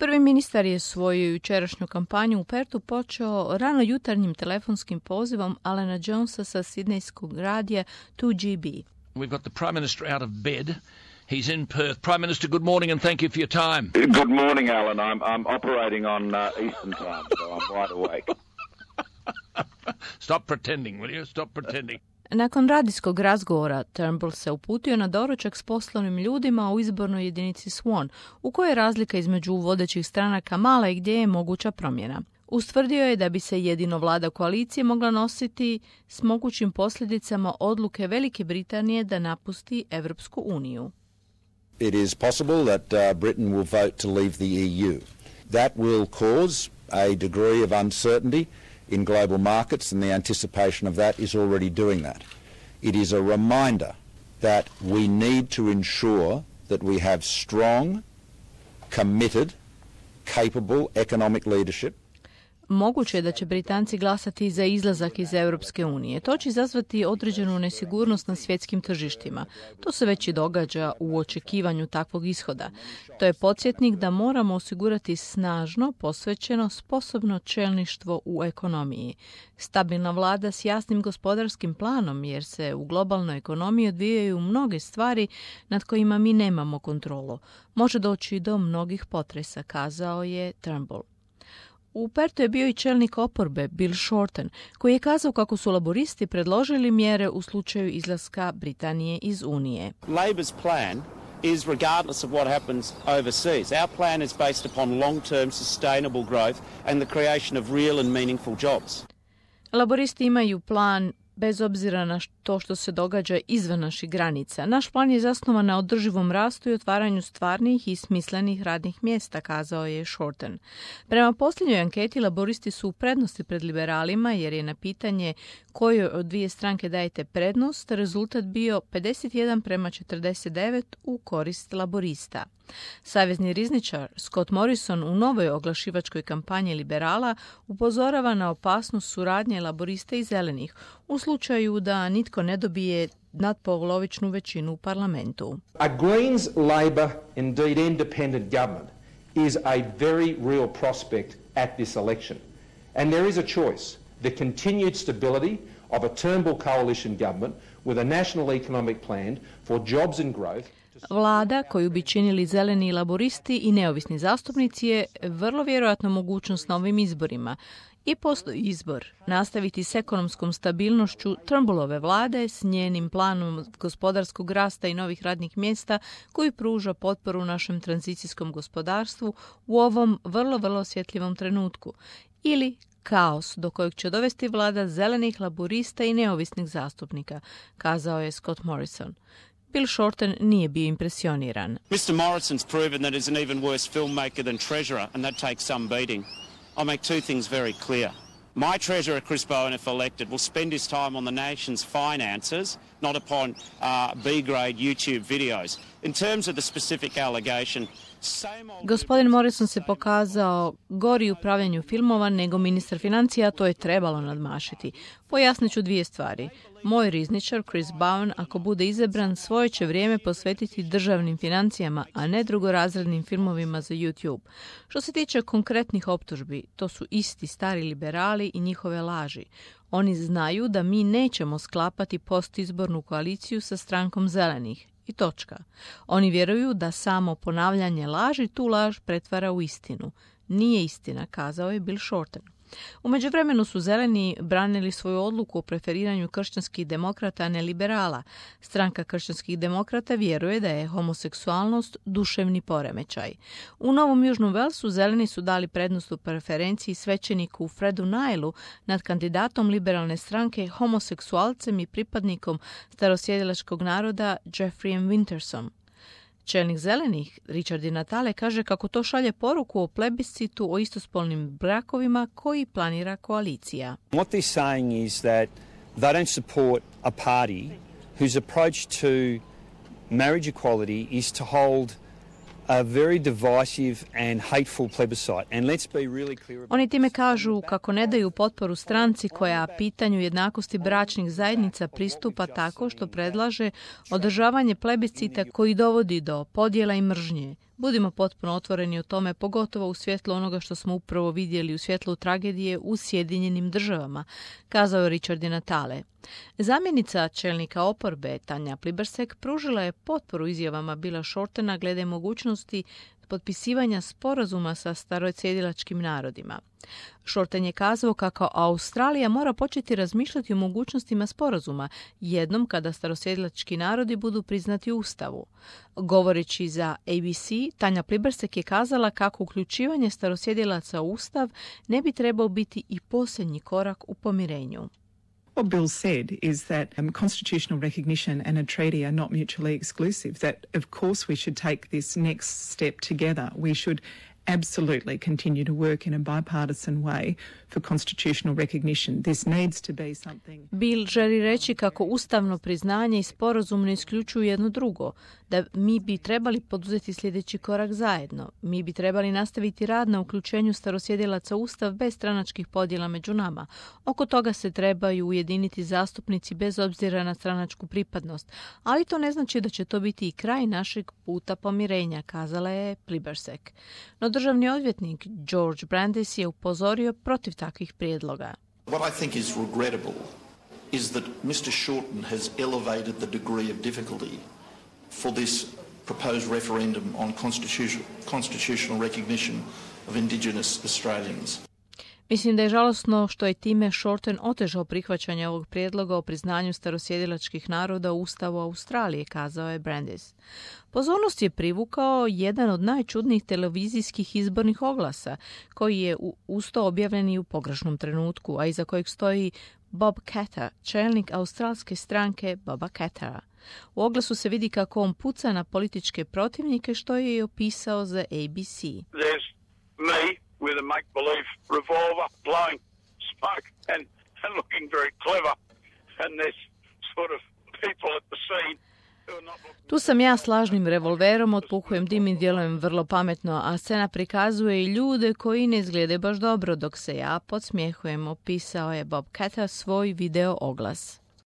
Prvi ministar je svoju jučerašnju kampanju u Pertu počeo rano jutarnjim telefonskim pozivom Alana Jonesa sa sidnejskog radija 2GB. We've got the Prime Minister out of bed. He's in Perth. Prime Minister, good morning and thank you for your time. Good morning, Alan. I'm operating on Eastern time, so I'm wide awake. Stop pretending, will you? Stop pretending. Nakon radijskog razgovora, Turnbull se uputio na doručak s poslovnim ljudima u izbornoj jedinici Swan, u kojoj je razlika između vodećih stranaka mala i gdje je moguća promjena. Ustvrdio je da bi se jedino vlada koalicije mogla nositi s mogućim posljedicama odluke Velike Britanije da napusti Evropsku uniju. It is possible that Britain will vote to leave the EU. That will cause a degree of uncertainty in global markets, and the anticipation of that is already doing that. It is a reminder that we need to ensure that we have strong, committed, capable economic leadership. Moguće je da će Britanci glasati za izlazak iz Europske unije. To će izazvati određenu nesigurnost na svjetskim tržištima. To se već i događa u očekivanju takvog ishoda. To je podsjetnik da moramo osigurati snažno, posvećeno, sposobno čelništvo u ekonomiji. Stabilna vlada s jasnim gospodarskim planom, jer se u globalnoj ekonomiji odvijaju mnoge stvari nad kojima mi nemamo kontrolu. Može doći do mnogih potresa, kazao je Turnbull. U Pertu je bio i čelnik oporbe Bill Shorten, koji je kazao kako su laboristi predložili mjere u slučaju izlaska Britanije iz Unije. Labor's plan is regardless of what happens overseas. Our plan is based upon long-term sustainable growth and the creation of real and meaningful jobs. Laboristi imaju plan bez obzira na to što se događa izvan naših granica. Naš plan je zasnovan na održivom rastu i otvaranju stvarnih i smislenih radnih mjesta, kazao je Shorten. Prema posljednjoj anketi, laboristi su u prednosti pred liberalima, jer je na pitanje kojoj od dvije stranke dajete prednost, rezultat bio 51:49 u korist laborista. Savezni rizničar Scott Morrison u novoj oglašivačkoj kampanji liberala upozorava na opasnost suradnje laborista i zelenih u slučaju da nitko ne dobije nadpolovičnu većinu u parlamentu. A Greens, Labor, indeed independent government is a very real prospect at this election. And there is a choice: the continued stability of a Turnbull coalition government with a national economic plan for jobs and growth. Vlada koju bi činili zeleni laboristi i neovisni zastupnici je vrlo vjerojatno mogućnost na ovim izborima. I postoji izbor nastaviti s ekonomskom stabilnošću Turnbullove vlade s njenim planom gospodarskog rasta i novih radnih mjesta koji pruža potporu našem tranzicijskom gospodarstvu u ovom vrlo osjetljivom trenutku. Ili kaos do kojeg će dovesti vlada zelenih laborista i neovisnih zastupnika, kazao je Scott Morrison. Bill Shorten nije bio impresioniran. Mr. Morrison's proven that he's an even worse filmmaker than Treasurer, and that takes some beating. I'll make two things very clear. My Treasurer, Chris Bowen, if elected, will spend his time on the nation's finances, not upon B-grade YouTube videos. In terms of the specific allegation, Gospodin Morrison se pokazao gori u upravljanju filmova nego ministar financija, to je trebalo nadmašiti. Pojasnit ću dvije stvari. Moj rizničar, Chris Bowen, ako bude izabran, svoje će vrijeme posvetiti državnim financijama, a ne drugorazrednim filmovima za YouTube. Što se tiče konkretnih optužbi, to su isti stari liberali i njihove laži. Oni znaju da mi nećemo sklapati postizbornu koaliciju sa strankom zelenih. I točka. Oni vjeruju da samo ponavljanje laži tu laž pretvara u istinu. Nije istina, kazao je Bill Shorten. U međuvremenu su zeleni branili svoju odluku o preferiranju kršćanskih demokrata, a ne liberala. Stranka kršćanskih demokrata vjeruje da je homoseksualnost duševni poremećaj. U Novom Južnom Velsu zeleni su dali prednost u preferenciji svećeniku Fredu Nailu nad kandidatom liberalne stranke, homoseksualcem i pripadnikom starosjedilačkog naroda Jeffreyem Wintersom. Čelnik zelenih, Richard Di Natale, kaže kako to šalje poruku o plebiscitu o istospolnim brakovima koji planira koalicija. What they're saying is that they don't support a party whose approach to marriage equality is to hold a very divisive and hateful plebiscite. And let's be really clear about Oni time kažu kako ne daju potporu stranci koja pitanju jednakosti bračnih zajednica pristupa tako što predlaže održavanje plebiscita koji dovodi do podjela i mržnje. Budimo potpuno otvoreni o tome, pogotovo u svjetlu onoga što smo upravo vidjeli u svjetlu tragedije u Sjedinjenim državama, kazao je Richard Di Natale. Zamjenica čelnika oporbe Tanja Plibersek pružila je potporu izjavama Billa Shortena glede mogućnosti potpisivanja sporazuma sa starosjedilačkim narodima. Shorten je kazao kako Australija mora početi razmišljati o mogućnostima sporazuma jednom kada starosjedilački narodi budu priznati u Ustavu. Govoreći za ABC, Tanja Plibersek je kazala kako uključivanje starosjedilaca u Ustav ne bi trebao biti i posljednji korak u pomirenju. What Bill said is that constitutional recognition and a treaty are not mutually exclusive, that of course we should take this next step together. We should absolutely continue to work in a bipartisan way for constitutional recognition. This needs to be something. Bill želi reći kako ustavno priznanje i sporazum ne isključuju jedno drugo, da mi bi trebali poduzeti sljedeći korak zajedno. Mi bi trebali nastaviti rad na uključenju starosjedilaca u Ustav bez stranačkih podjela među nama. Oko toga se trebaju ujediniti zastupnici bez obzira na stranačku pripadnost, ali to ne znači da će to biti i kraj našeg puta pomirenja, kazala je Plibersek. No državni odvjetnik George Brandis je upozorio protiv takvih prijedloga. What I think is regrettable is that Mr. Shorten has elevated the degree of difficulty for this proposed referendum on constitutional recognition of Indigenous Australians. Mislim da je žalosno što je time Shorten otežao prihvaćanje ovog prijedloga o priznanju starosjedilačkih naroda u Ustavu Australije, kazao je Brandis. Pozornost je privukao jedan od najčudnijih televizijskih izbornih oglasa, koji je uz to objavljen i u pogrešnom trenutku, a iza kojeg stoji Bob Katter, čelnik australske stranke Boba Kattera. U oglasu se vidi kako on puca na političke protivnike, što je i opisao za ABC. There's me with a make-believe revolver blowing smoke and looking very clever, and there's sort of people at the scene. Tu sam ja s lažnim revolverom, otpuhujem dim i djelujem vrlo pametno, a scena prikazuje i ljude koji ne izgledaju baš dobro, dok se ja podsmjehujem, opisao je Bob Katter svoj video oglas.